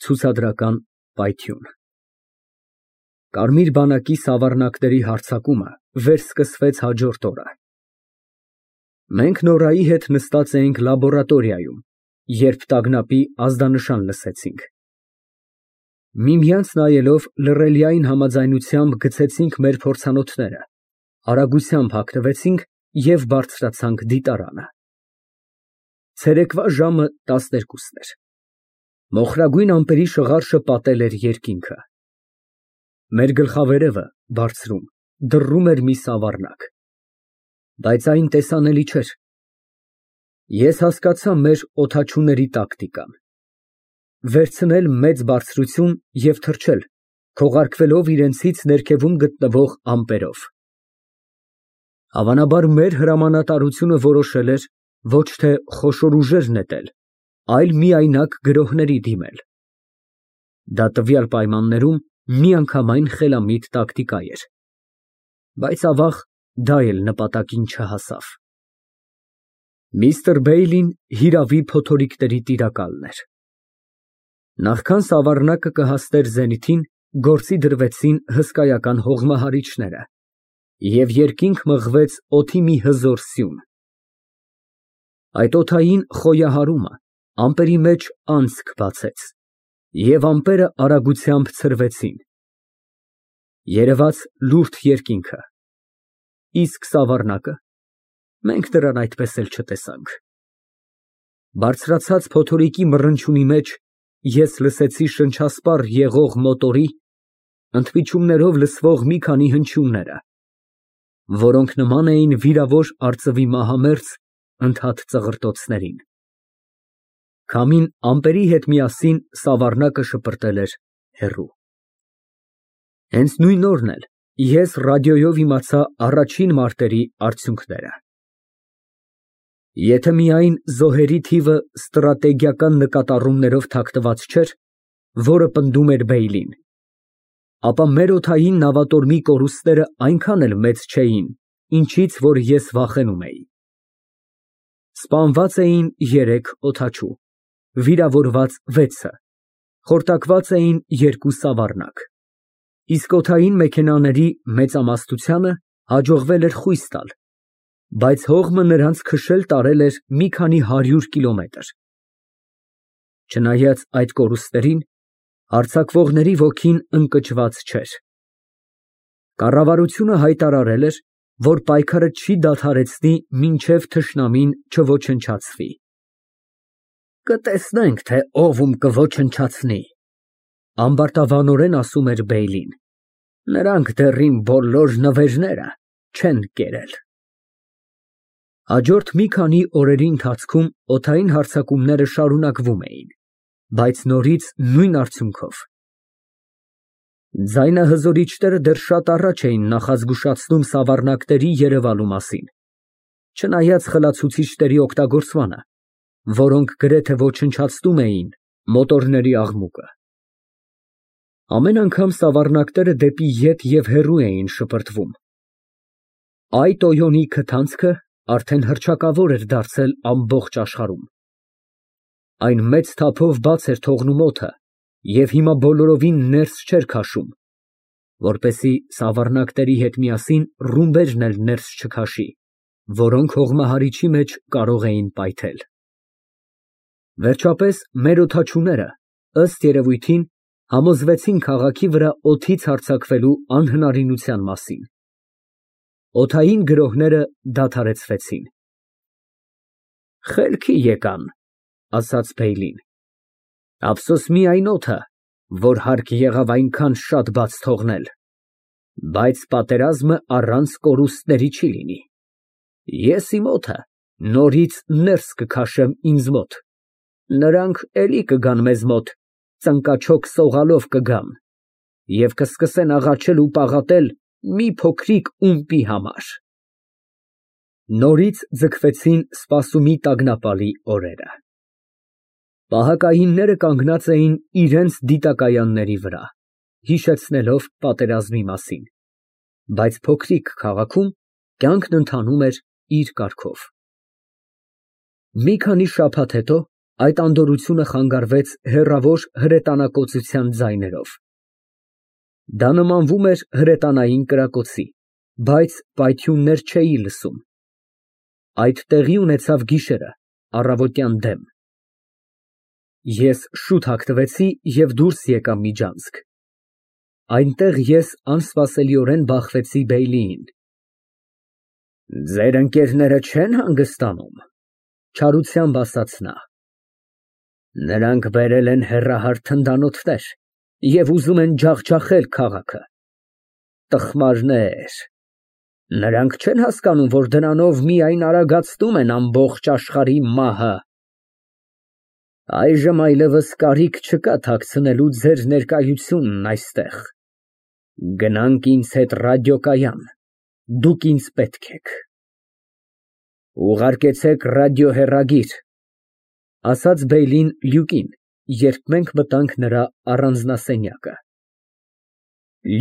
Ցուցադրական պայթյուն։ Կարմիր բանակի սավառնակների հարձակումը վերսկսվեց հաջորդ օրը։ Մենք Նորայի հետ նստած էինք լաբորատորիայում, երբ տագնապի ազդանշան լսեցինք։ Միմյանց նայելով լռելիային համաձայնությամբ գցեցինք մեր փորձանոթները, արագությամբ հագնվեցինք և բարձրացանք դիտարանը։ Ցերեկվա ժամը 12-ն էր։ Մոխրագույն ամպերի շղարշը պատել էր երկինքը։ Մեր գլխավերևը, բարձրում, դռռում էր մի սավառնակ, բայց այն տեսանելի չէր։ Ես հասկացա մեր օդաչուների տակտիկան. վերցնել մեծ բարձրություն և թռչել, քողարկվելով իրենցից ներքևում գտնվող ամպերով։ Հավանաբար մեր հրամանատարությունը որոշել էր ոչ թե խոշոր ուժեր նետել, այլ միայնակ գրոհների դիմել։ Դա տվյալ պայմաններում միանգամայն խելամիտ տակտիկա էր, բայց ավաղ դա էլ նպատակին չհասավ։ Միստր Բեյլին հիրավի փոթորիկների տիրակալն էր։ Նախքան սավառնակը կհասներ զենիթին, գործի դրվեցին հսկայական հողմահարիչները, և երկինք մղվեց օդի մի հզոր սյուն։ Այդ օդային խոյահարումը ամպերի մեջ անցք բացեց, և ամպերը արագությամբ ցրվեցին։ Երևաց լուրջ երկինքը, իսկ սավառնակը, մենք նրան այդպես էլ չտեսանք։ Բարձրացած փոթորիկի մռնչյունի մեջ ես լսեցի շնչասպառ եղող մոտորի, ընդմիջումներով լսվող մի քանի հնչյունները, որոնք նման էին վիրավոր արծվի մահամերձ ընդհատ ծղրտոցներին։ Քամին ամպերի հետ միասին սավառնակը շպրտել էր հեռու։ Հենց նույն օրն էլ ես ռադիոյով իմացա առաջին մարտերի արդյունքները։ Եթե միայն զոհերի թիվը ստրատեգիական նկատառումներով թաքնված չէր, որը պնդում էր Բեյլին, ապա մեր օդային նավատորմի կորուստները այնքան էլ մեծ չէին, ինչից որ ես վախենում էի։ Սպանված էին 3 օդաչու, վիրավորված 6-ը, խորտակված էին 2 սավառնակ, իսկ օդային մեքենաների մեծամասնությանը հաջողվել էր խույս տալ, բայց հողմը նրանց քշել տարել էր մի քանի 100 կիլոմետր։ Չնայած այդ կորուստներին, հարձակվողների ոգին ընկճված չէր։ Կառավարությունը հայտարարել էր, որ պայքարը չի դադարեցնի մինչև թշնամին չոչնչացվի։ Կտեսնենք, թե ով ում կոչնչացնի, ամբարտավանորեն ասում էր Բեյլին։ Նրանք դեռ իմ բոլոր նվերները չեն կերել։ Հաջորդ մի քանի օրերի ընթացքում օդային հարձակումները շարունակվում էին, բայց նորից նույն արդյունքով։ Ձայնահզորիչները դեռ շատ առաջ էին նախազգուշացնում սավառնակների երևալու մասին, չնայած խլացուցիչների օգտագործմանը, որոնք գրեթե ոչնչացնում էին մոտորների աղմուկը։ Ամեն անգամ սավառնակները դեպի ետ և հեռու էին շպրտվում։ Այդ Օյոնի քթանցքը արդեն հռչակավոր էր դարձել ամբողջ աշխարհում։ Այն մեծ թափով բաց էր թողնում օդը և հիմա բոլորովին ներս չէր քաշում, որպեսզի սավառնակների հետ միասին ռումբերն էլ ներս չքաշի, որոնք հողմահարիչի մեջ կարող էին պայթել։ Վերջապես մեր օդաչուները, ըստ երևույթին, համոզվեցին քաղաքի վրա օդից հարձակվելու անհնարինության մասին։ Օդային գրոհները դադարեցվեցին։ Խելքի եկան, ասաց Բեյլին։ Ափսոս միայն օդը, որ հարկ եղավ այնքան շատ բաց թողնել, բայց պատերազմը առանց կորուստների չի լինի։ Ես իմ օդը նորից ներս կքաշեմ ինձ մոտ, նրանք էլի կգան մեզ մոտ, ծնկաչոք սողալով կգան և կսկսեն աղաչել ու պաղատել մի փոքրիկ ումպի համար։ Նորից ձգվեցին սպասումի տագնապալի օրերը։ Պահակայինները կանգնած էին իրենց դիտակայանների վրա, հիշեցնելով պատերազմի մասին, բայց փոքրիկ քաղաքում կյանքն ընթանում էր իր կարգով։ Մի քանի շաբաթ հետո Այդ անդորրությունը խանգարվեց հեռավոր հրետանակոծության ձայներով։ Դա նմանվում էր հրետանային կրակոցի, բայց պայթյուններ չէի լսում։ Այդ տեղի ունեցավ գիշերը, առավոտյան դեմ։ Ես շուտ հագնվեցի և դուրս եկա միջանցք։ Այնտեղ ես անսպասելիորեն բախվեցի Բեյլիին։ Ձեր ընկերները չե՞ն հանգստանում, չարությամբ ասաց նա։ Նրանք բերել են հեռահար թնդանոթներ և ուզում են ջախջախել քաղաքը։ Տխմարներ, նրանք չեն հասկանում, որ դրանով միայն արագացնում են ամբողջ աշխարհի մահը։ Այժմ այլևս կարիք չկա թաքցնելու ձեր ներկայությունն այստեղ։ Գնանք ինձ հետ ռադիոկայան, դուք ինձ պետք եք։ Ուղարկեցեք ռադիոհեռագիր, ասաց Բեյլին Լյուկին, երբ մենք մտանք նրա առանձնասենյակը։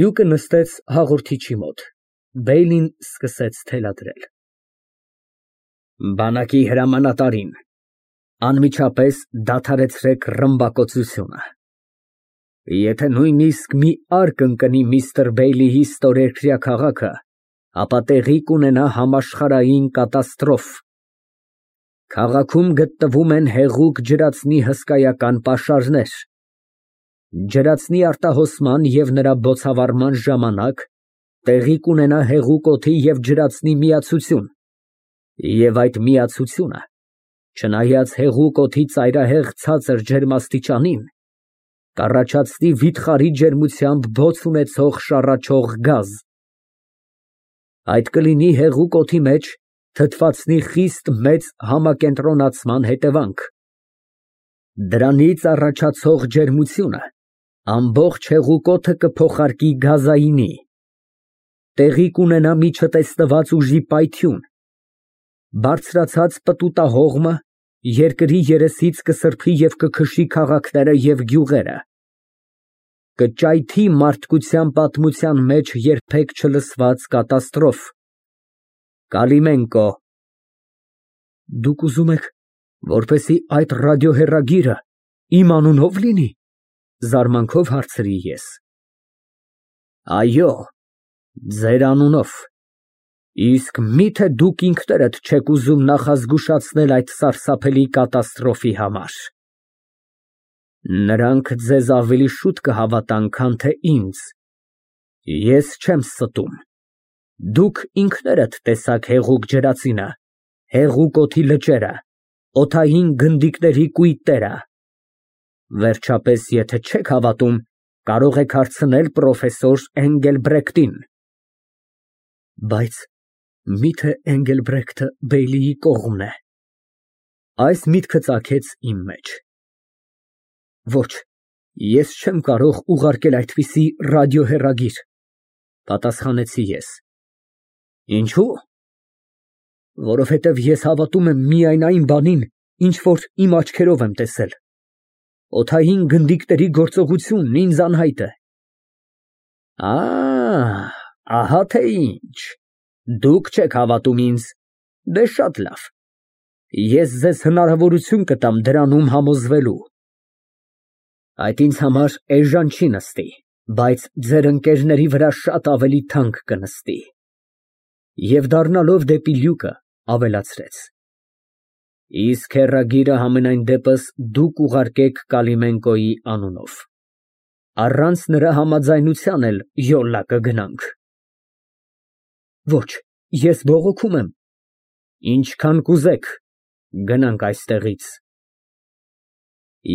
Լյուկը նստեց հաղորդիչի մոտ, Բեյլին սկսեց թելադրել։ Բանակի հրամանատարին, անմիջապես դադարեցրեք ռմբակոծությունը։ Եթե նույնիսկ մի արգ ընկնի միստր Բեյլիի ստորերկրյա քաղաքը, ապա տեղի կունենա համաշխարհային կատաստրոֆ։ Քաղաքում գտնվում են հեղուկ ջրածնի հսկայական պաշարներ։ Ջրածնի արտահոսման և նրա բոցավառման ժամանակ տեղի կունենա հեղուկ օդի և ջրածնի միացություն, և այդ միացությունը, չնայած հեղուկ օդի ծայրահեղ ցածր ջերմաստիճանին, կառաջացնի վիթխարի ջերմությամբ բոց ունեցող շառաչող գազ։ Այդ կլինի հեղուկ օդի մեջ թթվածնի խիստ մեծ համակենտրոնացման հետևանք։ Դրանից առաջացող ջերմությունը ամբողջ հեղուկ օդը կփոխարկի գազայինի։ Տեղի կունենա մի չտեսնված ուժի պայթյուն։ Բարձրացած պտուտահողմը երկրի երեսից կսրբի և կքշի քաղաքները և գյուղերը։ Կճայթի մարդկության պատմության մեջ երբեք չլսված կատաստրոֆ։ Կալիմենկո։ Դուք ուզում եք, որպեսզի այդ ռադիոհեռագիրը իմ անունով լինի, զարմանքով հարցրի ես։ Այո, ձեր անունով, իսկ մի՞թե դուք ինքներդ չեք ուզում նախազգուշացնել այդ սարսափելի կատաստրոֆի համար։ Նրանք ձեզ ավելի շուտ կհավատան, քան թե ինձ։ Ես չեմ ստում։ Դուք ինքներդ տեսաք հեղուկ ջրածինը, հեղուկ օդի լճերը, օդային գնդիկների կույտերը։ Վերջապես, եթե չեք հավատում, կարող եք հարցնել պրոֆեսոր Էնգելբրեկտին։ Բայց մի՞թե Էնգելբրեկտը Բեյլիի կողմն է։ Այս միտքը ծագեց իմ մեջ։ Ոչ, ես չեմ կարող ուղարկել այդպիսի ռադիոհեռագիր, պատասխանեցի ես։ Ինչո՞ւ։ Որովհետև ես հավատում եմ միայն այն բանին, ինչ որ իմ աչքերով եմ տեսել։ Օդային գնդիկների գործողությունն ինձ անհայտ է։ Ահա թե ինչ, դուք չեք հավատում ինձ, դե շատ լավ, ես ձեզ հնարավորություն կտամ դրանում համոզվելու։ Այդ ինձ համար էժան չի նստի, բայց ձեր ընկերների վրա շատ ավելի թանկ կնստի։ Եվ դառնալով դեպի Լյուկը, ավելացրեց. Իսկ հեռագիրը համենայն դեպս դուք ուղարկեք Կալիմենկոյի անունով։ Առանց նրա համաձայնության էլ յոլա կգնանք։ Ոչ, ես բողոքում եմ։ Ինչքան կուզեք, գնանք այստեղից։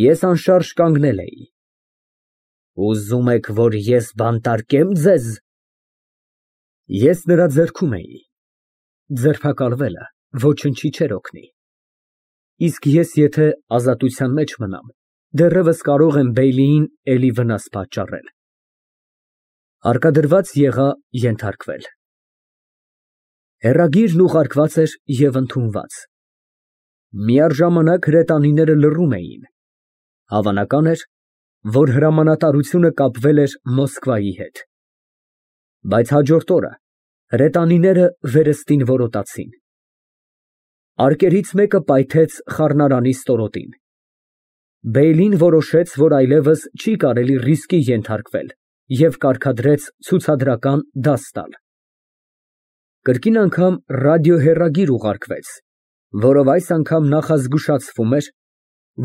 Ես անշարժ կանգնել էի։ Ուզում եք, որ ես բանտարկեմ ձեզ։ Ես նրա ձեռքում էի։ Ձերբակալվելը ոչնչի չէր օգնի։ Իսկ ես եթե ազատության մեջ մնամ, դեռևս կարող եմ Բեյլիին էլի վնաս պատճառել։ Հարկադրված եղա ենթարկվել։ Հեռագիրն ուղարկված էր և ընդունված։ Միառժամանակ հրետանիները լռում էին։ Հավանական էր, որ հրամանատարությունը կապվել էր Մոսկվայի հետ։ Բայց հաջորդ օրը հրետանիները վերստին որոտացին։ Արկերից մեկը պայթեց խառնարանի ստորոտին։ Բեյլին որոշեց, որ այլևս չի կարելի ռիսկի ենթարկվել և կարգադրեց ցուցադրական դաս տալ։ Կրկին անգամ ռադիոհեռագիր ուղարկվեց, որով այս անգամ նախազգուշացվում էր,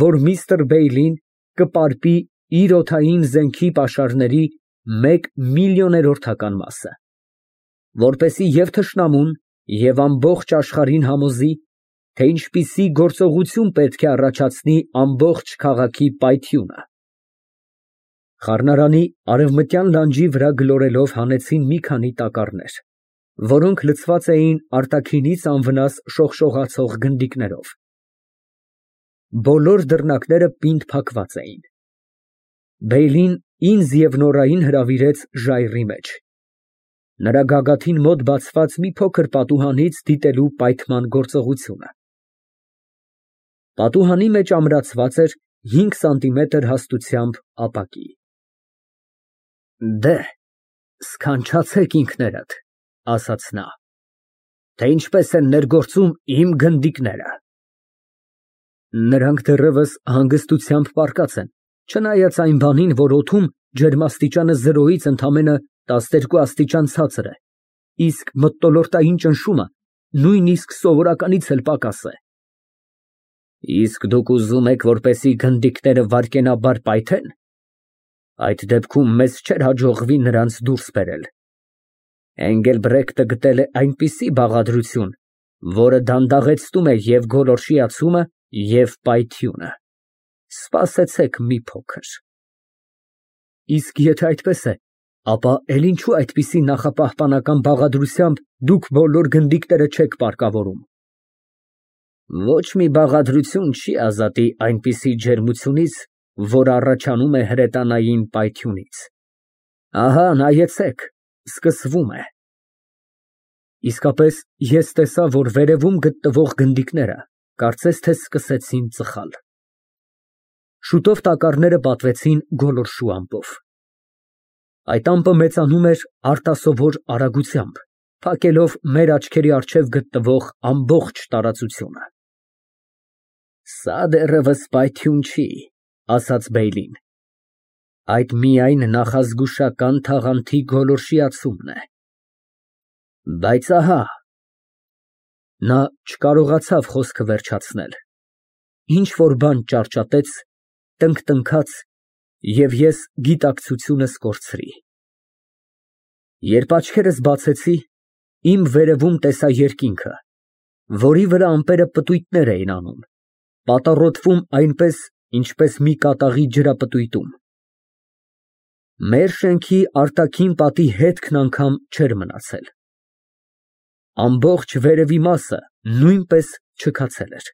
որ միստր Բեյլին կպարպի իր օդային զենքի պաշարների 1/100,000-ական մասը, որպեսզի և թշնամուն, և ամբողջ աշխարհին համոզի, թե ինչպիսի գործողություն պետք է առաջացնի ամբողջ քաղաքի պայթյունը։ Խառնարանի արևմտյան լանջի վրա գլորելով հանեցին մի քանի տակառներ, որոնք լցված էին արտաքինից անվնաս շողշողացող գնդիկներով։ Բոլոր դռնակները պինդ փակված էին։ Բեյլին ինձ և Նորային հրավիրեց ժայռի մեջ, նրա գագաթին մոտ բացված մի փոքր պատուհանից դիտելու պայթման գործողությունը։ Պատուհանի մեջ ամրացված էր 5 սանտիմետր հաստությամբ ապակի։ Դե, սքանչացեք ինքներդ, ասաց նա, թե ինչպես են ներգործում իմ գնդիկները։ Նրանք դեռևս հանգստությամբ պառկած են, չնայած այն բանին, որ օդում ջերմաստիճանը 0-ից ընդամենը 12 աստիճան ցածր է, իսկ մթնոլորտային ճնշումը նույնիսկ սովորականից էլ պակաս է։ Իսկ դուք ուզում եք, որպեսզի գնդիկները վայրկենաբար պայթեն։ Այդ դեպքում մեզ չէր հաջողվի նրանց դուրս բերել։ Էնգելբրեկտը գտել է այնպիսի բաղադրություն, որը դանդաղեցնում է և գոլորշիացումը, և պայթյունը։ Սպասեցեք մի փոքր։ Իսկ եթե այդպես է, ապա էլ ինչու այդպիսի նախապահպանական բաղադրությամբ դուք բոլոր գնդիկները չեք պարկավորում։ Ոչ մի բաղադրություն չի ազատի այնպիսի ջերմությունից, որ առաջանում է հրետանային պայթյունից։ Ահա նայեցեք, սկսվում է։ Իսկապես, ես տեսա, որ վերևում գտնվող գնդիկները կարծես թե սկսեցին ծխալ։ Շուտով տակառները պատվեցին գոլորշու ամպով։ Այդ ամպը մեծանում էր արտասովոր արագությամբ, փակելով մեր աչքերի առջև գտնվող ամբողջ տարածությունը։ Սա դեռևս պայթյուն չի, ասաց Բեյլին։ Այդ միայն նախազգուշական թաղանթի գոլորշիացումն է։ Բայց ահա։ Նա չկարողացավ խոսքը վերջացնել։ Ինչ-որ բան ճարճատեց, տնքտնքաց, և ես գիտակցությունս կորցրի։ Երբ աչքերս բացեցի, իմ վերևում տեսա երկինքը, որի վրա ամպերը պտույտներ էին անում, պատառոտվում այնպես, ինչպես մի կատաղի ջրապտույտում։ Մեր շենքի արտաքին պատի հետքն անգամ չէր մնացել։ Ամբողջ վերևի մասը նույնպես չքացել էր։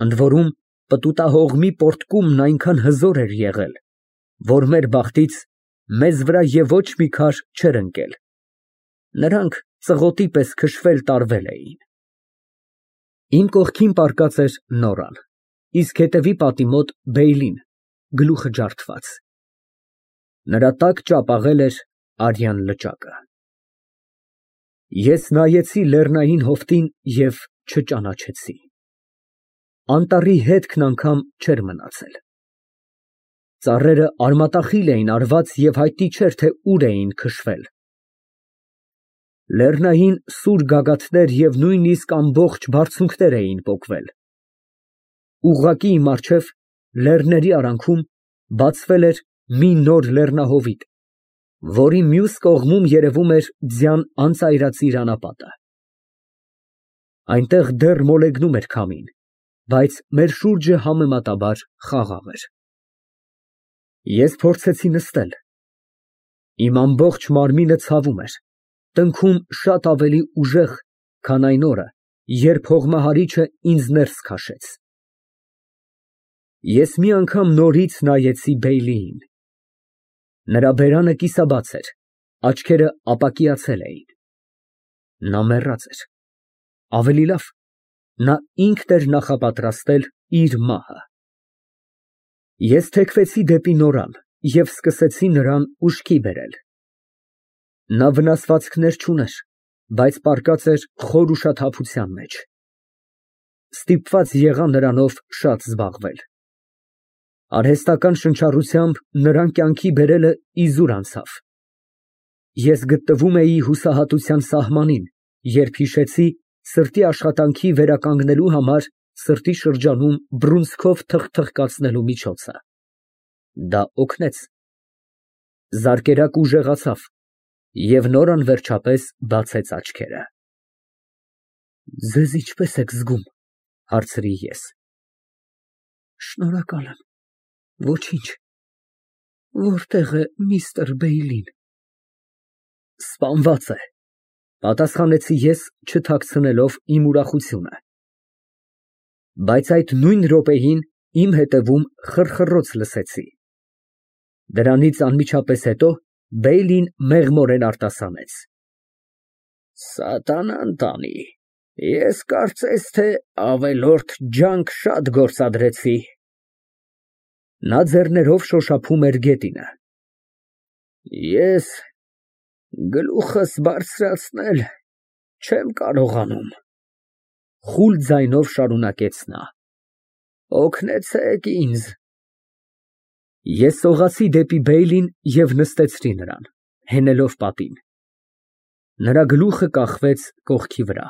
Ընդ որում, պտուտահողմի պոռթկումն այնքան հզոր էր եղել, որ մեր բախտից մեզ վրա և ոչ մի քար չէր ընկել։ Նրանք ծղոտի պես քշվել տարվել էին։ Իմ կողքին պառկած էր Նորան, իսկ հետևի պատի մոտ Բեյլին, գլուխը ջարդված։ Նրա տակ ճապաղել էր արյան լճակը։ Ես նայեցի լեռնային հովտին և չճանաչեցի։ Անտառի հետքն անգամ չէր մնացել։ Ծառերը արմատախիլ էին արված և հայտնի չէր, թե ուր էին քշվել։ Լեռնային սուր գագաթներ և նույնիսկ ամբողջ բարձունքներ էին պոկվել։ Ուղղակի իմ առջև, լեռների արանքում, բացվել էր մի նոր լեռնահովիտ, որի մյուս կողմում երևում էր ձյան անծայրածիր անապատը։ Այնտեղ դեռ մոլեգնում էր քամին, բայց մեր շուրջը համեմատաբար խաղաղ էր։ Ես փորձեցի նստել։ Իմ ամբողջ մարմինը ցավում էր, տնքում շատ ավելի ուժեղ, քան այն օրը, երբ հողմահարիչը ինձ ներս քաշեց։ Ես մի անգամ նորից նայեցի Բեյլիին։ Նրա բերանը կիսաբաց էր, աչքերը ապակիացել էին։ Նա մեռած էր։ Ավելի լավ, նա ինքն էր նախապատրաստել իր մահը։ Ես թեքվեցի դեպի Նորան և սկսեցի նրան ուշքի բերել։ Նա վնասվածքներ չուներ, բայց պառկած էր խոր ուշաթափության մեջ։ Ստիպված եղա նրանով շատ զբաղվել։ Արհեստական շնչառությամբ նրան կյանքի բերելը իզուր անցավ։ Ես գտնվում էի հուսահատության սահմանին, երբ հիշեցի սրտի աշխատանքի վերականգնելու համար սրտի շրջանում բռունցքով թխթխկացնելու միջոցը։ Դա օգնեց։ Զարկերակ ուժեղացավ և Նորան վերջապես բացեց աչքերը։ Ձեզ ինչպե՞ս եք զգում, հարցրի ես։ Շնորհակալ եմ, ոչինչ։ Որտե՞ղ է միստր Բեյլին։ Սպանված է, պատասխանեցի ես, չթաքցնելով իմ ուրախությունը։ Բայց այդ նույն րոպեին իմ հետևում խռխռոց լսեցի։ Դրանից անմիջապես հետո Բեյլին մեղմորեն արտասանեց. Սատանան տանի, ես կարծես թե ավելորդ ջանք շատ գործադրեցի։ Նա ձեռներով շոշափում էր գետինը։ Ես գլուխս բարձրացնել չեմ կարողանում, խուլ ձայնով շարունակեց նա։ Օգնեցեք ինձ։ Ես սողացի դեպի Բեյլին և նստեցրի նրան, հենելով պատին։ Նրա գլուխը կախվեց կողքի վրա։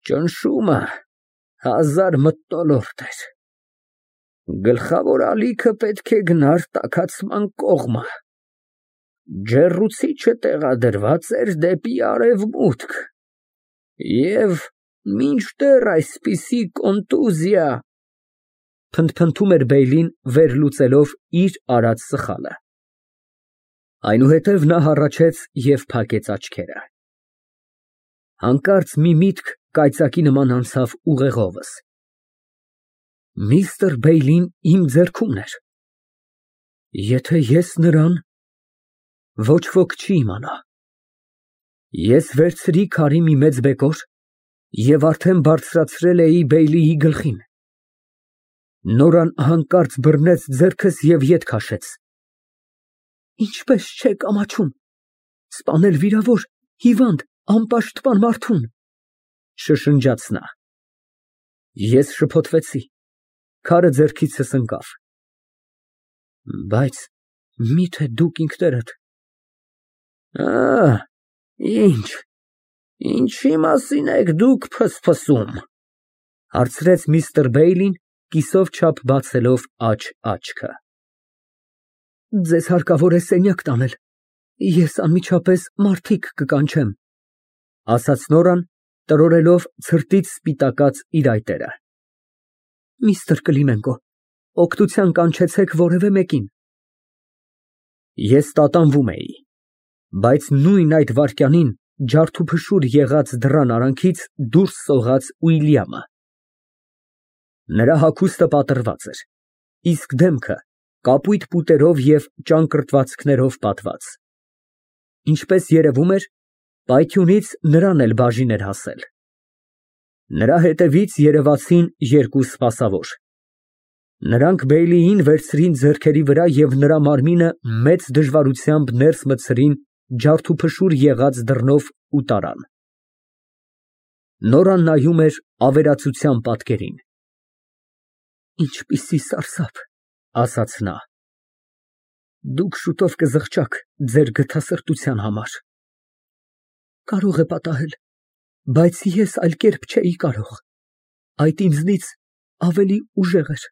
Ճնշումը 1000 մթնոլորտ էր։ Գլխավոր ալիքը պետք է գնար տաքացման կողմը։ Ջեռուցիչը տեղադրված էր դեպի արևմուտք։ Եվ մինչդեռ այսպիսի կոնտուզիա… Փնթփնթում էր Բեյլին, վերլուծելով իր արած սխալը։ Այնուհետև նա հառաչեց և փակեց աչքերը։ Հանկարծ մի միտք կայծակի նման անցավ ուղեղովս։ Միստր Բեյլին իմ ձեռքումն էր։ Եթե ես նրան… Ոչ ոք չի իմանա։ Ես վերցրի քարի մի մեծ բեկոր և արդեն բարձրացրել էի Բեյլիի գլխին։ Նորան հանկարծ բռնեց ձեռքս և ետ քաշեց։ Ինչպես չեք ամաչում, սպանել վիրավոր, հիվանդ, անպաշտպան մարդուն, շշնջաց նա։ Ես շփոթվեցի, քարը ձեռքիցս ընկավ։ Բայց մի՞թե դուք ինքներդ… Ինչի մասին եք դուք ֆսֆսում, հարցրեց միստր Բեյլին, կիսով չափ բացելով աչքը։ Ձեզ հարկավոր է սենյակ տանել, ես անմիջապես մարդիկ կկանչեմ, ասաց Նորան, տրորելով ցրտից սպիտակած իր այտերը։ Միստր Կլիմենկո, օգնության կանչեցեք որևէ մեկին։ Ես տատանվում էի, բայց նույն այդ վայրկյանին ջարդուփշուր եղած դռան արանքից դուրս սողաց Ուիլյամը։ Նրա հագուստը պատռված էր, իսկ դեմքը կապույտ պուտերով և ճանկռտվածքներով պատված։ Ինչպես երևում էր, պայթյունից նրան էլ բաժին էր հասել։ Նրա հետևից երևացին երկու սպասավոր։ Նրանք Բեյլիին վերցրին ձեռքերի վրա և նրա մարմինը մեծ դժվարությամբ ներս մտցրին ջարդուփշուր եղած դռնով ու տարան։ Նորան նայում էր ավերածության պատկերին։ Ինչպիսի սարսափ, ասաց նա։ Դուք շուտով կզղջաք ձեր գթասրտության համար։ Կարող է պատահել, բայց ես այլ կերպ չէի կարող, այդ ինձնից ավելի ուժեղ էր,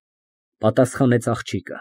պատասխանեց աղջիկը։